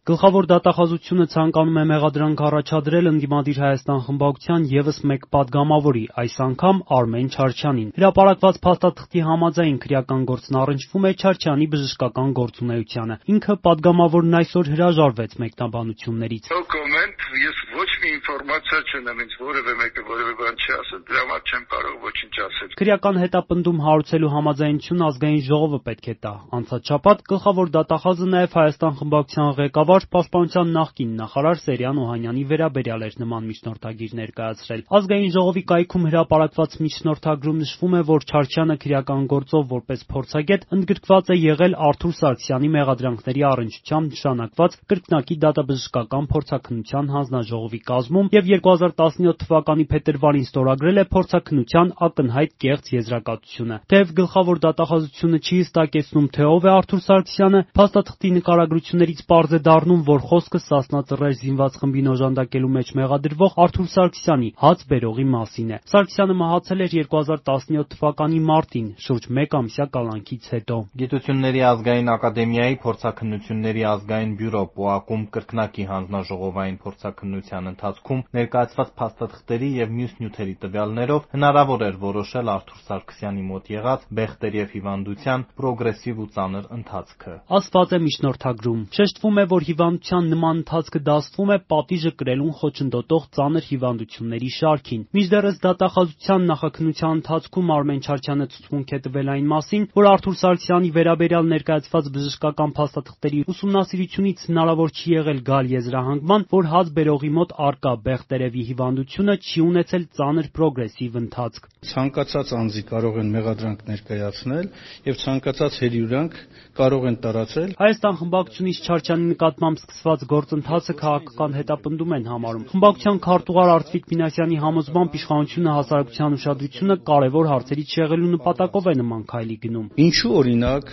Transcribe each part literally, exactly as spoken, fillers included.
Գլխավոր դատախազությունը ցանկանում է մեղադրանք առաջադրել ընդդիմադիր Հայաստան խմբակցության ևս մեկ պատգամավորի, այս անգամ Արմեն Չարչյանին։ Հրապարակված փաստաթղթի համաձայն քրեական գործն առնչվում է Չարչյանի բժշկական գործունեությանը։ Ինքը պատգամավորն այսօր հրաժարվեց մեկնաբանություններից։ No comment, ես ոչ մի ինֆորմացիա չունեմ, ինձ որևէ մեկը որևէ բան չի ասել, դրա համար չեմ կարող ոչինչ ասել։ Քրեական հետապնդում հարուցելու համաձայնությունը ազգային ժողովը պետք է տա։ Անցած շաբաթ գլխավոր դատախազը նաև Հայաստան խմբակցության ղեկավար, պաշտպանության նախկին նախարար Սերյան Օհանյանի վերաբերյալ էր նման միջնորդագիր ներկայացրել։ Ազգային ժողովի կայքում հրապարակված միջնորդագրում նշվում է, որ Չարչյանը քրեական գործով որպես փորձագետ ընդգրկված է եղել Արթուր Սարգսյանի մեղադրանքների առնչությամբ նշանակված կրկնակի դատաբժշկական փորձաքննության հանձնաժողովի կազմում և երկու հազար տասնյոթ թվականի փետրվարին ստորագրել է փորձաքննության ակնհայտ կեղծ եզրակացությունը։ Թեև գլխավոր դատախազությունը չի հստակեցնում, թե ով է Արթուր Սարգսյանը, փաստաթղթի նկարագրություններից պարզ է դառնում, որ խոսքը Սասնա Ծռեր զինված խմբին օժանդակելու մեջ մեղադրվող Արթուր Սարգսյանի հաց բերողի մասին է։ Սարգսյանը մահացել էր երկու հազար տասնյոթ թվականի մարտին, շուրջ մեկ ամսյա կալանքից հետո։ Գիտությունների ազգային ակադեմիայի փորձաքննությունների ազգային բյուրո ՊՕԱԿ-ում կրկնակի հանձնաժողովային փորձաքննության ընթացքում ներկայացված փաստաթղթերի և մյուս նյութերի տվյալներով հնարավոր էր որոշել Արթուր Սարգսյանի մոտ եղած բեղտեր և հիվանդության պրոգրեսիվ ու ծանր ընթացքը։ Ասված է միջնորդագրում։ Շեշտվում է, որ հիվանդության նման ընթացքը դասվում է պատիժը կրելուն խոչընդոտող ծանր հիվանդությունների շարքին։ Մինչդեռս դատախազության նախաքննության ընթացքում Արմեն Չարչյանը ցուցմունք է տվել այն մասին, որ Արթուր Սարգսյանի վերաբերյալ ներկայացված բժշկական փաստաթղթերի ուսումնասիրությունից հնարավոր չի եղել գալ եզրահանգման, որ հաց բերողի մոտ առկա բեղտերևի հիվանդությունը չի ունեցել ծանր պրոգրեսիվ ընթացք։ Ցանկացած անձի կարող են մեղադրանք ներկայացնել և ցանկացած հետևանք կարող են տարածել։ Հայաստան խմբակցությունից Չարչյանի նկատմամբ սկսված գործընթացը քաղաքական հետապնդում են համարում։ Խմբակցության քարտուղար Արծվիկ Մինասյանի համոզմամբ իշխանությունը հասարակության ուշադրությունը կարևոր հարցերից շեղելու նպատակով է նման քայլի գնում։ Ինչու օրինակ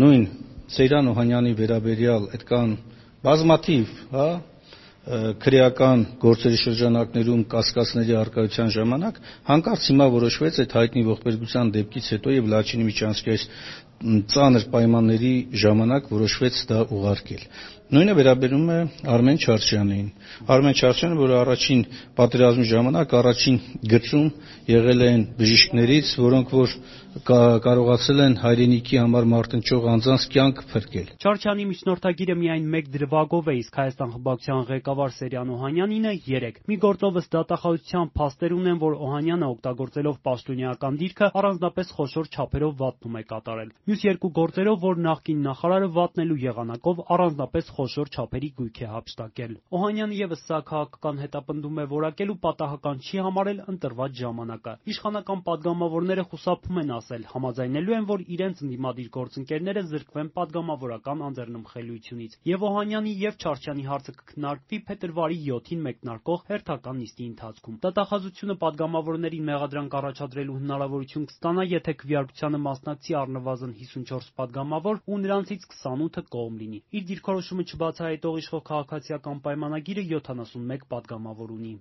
նույն Սերյան Օհանյանի վերաբերյալ այդքան բազմաթիվ, հա, քրեական գործերի շրջանակներում կասկածների առկայության ժամանակ հանկարծ հիմա որոշվեց այդ հայտնի ողբերգության դեպքից հետո և Լաչինի միջանցքի այս ծանր պայմանների ժամանակ որոշվեց դա ուղարկել։ Նույնը վերաբերում է Արմեն Չարչյանին։ Արմեն Չարչյանը, որը առաջին պատերազմի ժամանակ առաջին գծում եղել են բժիշկներից, որոնք որ կարողացել են հայրենիքի համար մարտնչող անձանց կյանք փրկել։ Չարչյանի միջնորդագիրը միայն մեկ դրվագով է, իսկ Հայաստան խմբակցության ղեկավար Սերյան Օհանյանինը երեք։ Մի գործով ըստ դատախազության փաստեր ունեն, որ Օհանյանը օգտագործելով պաշտոնեական դիրքը առանձնապես խոշոր չափերով վատնում է կատարել։ Մյուս երկու գործերով, որ նախկին նախարարը վատնելու եղանակով առանձնապես խոշոր չափերի գույք է հափշտակել։ Օհանյանը ևս սա քաղաքական հետապնդում է որակելու պատահական չի համարել ընտրված ժամանակը։ Իշխանական պատգամավորները խուսափում են ասել, համաձայնելու են, որ իրենց ընդդիմադիր գործընկերները զրկվեն պատգամավորական անձեռնմխելիությունից, և Օհանյանի և Չարչյանի հարցը կքննարկվի փետրվարի յոթին մեկնարկող հերթական նիստի ընթացքում։ Դատախազությունը պատգամավորներին մեղադրանք առաջադրելու հնարավորություն կստանա, եթե քվեարկությանը մասնակցի առնվազն հիսունչորս պատգամավոր ու նրանցից քսանութը կողմ լինի։ Իր դիրքորոշումը չբացահայտող իշխող քաղաքացիական պայմանագիրը յոթանասունմեկ պատգամավոր ունի։